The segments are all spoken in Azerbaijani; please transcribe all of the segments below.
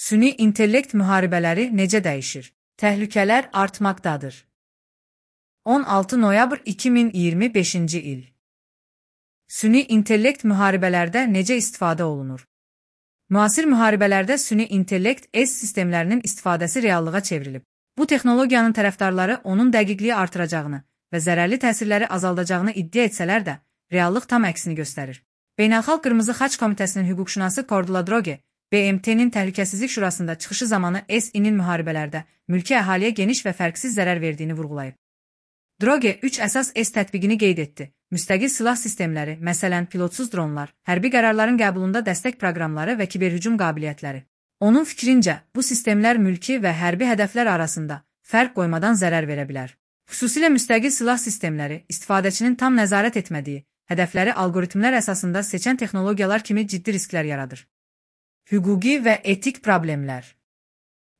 Süni intellekt müharibələri necə dəyişir? Təhlükələr artmaqdadır. 16 noyabr 2025-ci il. Süni intellekt müharibələrdə necə istifadə olunur? Müasir müharibələrdə süni intellekt sistemlərinin istifadəsi reallığa çevrilib. Bu texnologiyanın tərəfdarları onun dəqiqliyi artıracağını və zərərli təsirləri azaldacağını iddia etsələr də, reallıq tam əksini göstərir. Beynəlxalq Qırmızı Xaç Komitəsinin hüquqşünası Cordula Droge, BMT-nin Təhlükəsizlik Şurasında çıxışı zamanı Sİ-nin müharibələrdə mülki əhaliyə geniş və fərqsiz zərər verdiyini vurğulayıb. Droge 3 əsas tətbiqini qeyd etdi. Müstəqil silah sistemləri, məsələn, pilotsuz dronlar, hərbi qərarların qəbulunda dəstək proqramları və kiberhücum qabiliyyətləri. Onun fikrincə, bu sistemlər mülki və hərbi hədəflər arasında fərq qoymadan zərər verə bilər. Xüsusilə müstəqil silah sistemləri, istifadəçinin tam nəzarət etmədiyi, hədəfləri alqoritmlər əsasında seçən texnologiyalar kimi ciddi risklər yaradır. Hüquqi və etik problemlər.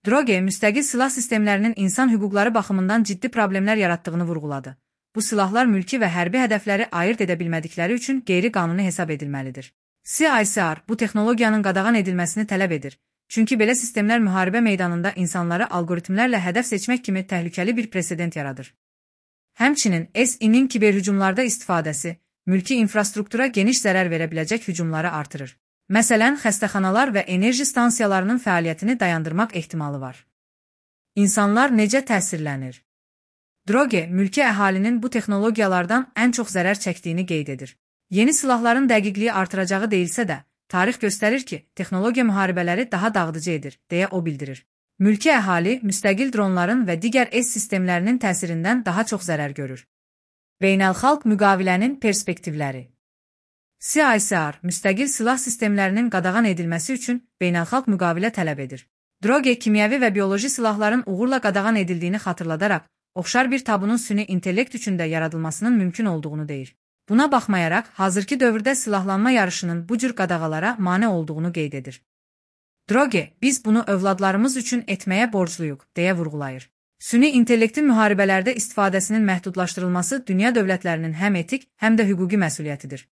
Droge müstəqil silah sistemlərinin insan hüquqları baxımından ciddi problemlər yaratdığını vurğuladı. Bu silahlar mülki və hərbi hədəfləri ayırt edə bilmədikləri üçün qeyri-qanuni hesab edilməlidir. CICR bu texnologiyanın qadağan edilməsini tələb edir. Çünki belə sistemlər müharibə meydanında insanları alqoritmlərlə hədəf seçmək kimi təhlükəli bir presedent yaradır. Həmçinin Sİ-nin kiberhücumlarda istifadəsi, mülki infrastruktura geniş zərər verə biləcək hücumları artırır. Məsələn, xəstəxanalar və enerji stansiyalarının fəaliyyətini dayandırmaq ehtimalı var. İnsanlar necə təsirlənir? Droge, mülki əhalinin bu texnologiyalardan ən çox zərər çəkdiyini qeyd edir. Yeni silahların dəqiqliyi artıracağı deyilsə də, tarix göstərir ki, texnologiya müharibələri daha dağıdıcı edir, deyə o bildirir. Mülki əhali, müstəqil dronların və digər sistemlərinin təsirindən daha çox zərər görür. Beynəlxalq müqavilənin perspektivləri. CICR, müstəqil silah sistemlərinin qadağan edilməsi üçün beynəlxalq müqavilə tələb edir. Droge, kimyəvi və bioloji silahların uğurla qadağan edildiyini xatırladaraq, oxşar bir tabunun süni intellekt üçün də yaradılmasının mümkün olduğunu deyir. Buna baxmayaraq, hazırki dövrdə silahlanma yarışının bu cür qadağalara mane olduğunu qeyd edir. Droge, biz bunu övladlarımız üçün etməyə borcluyuq, deyə vurğulayır. Süni intellektin müharibələrdə istifadəsinin məhdudlaşdırılması dünya dövlətlərinin həm etik, həm də hüquqi məsuliyyətidir.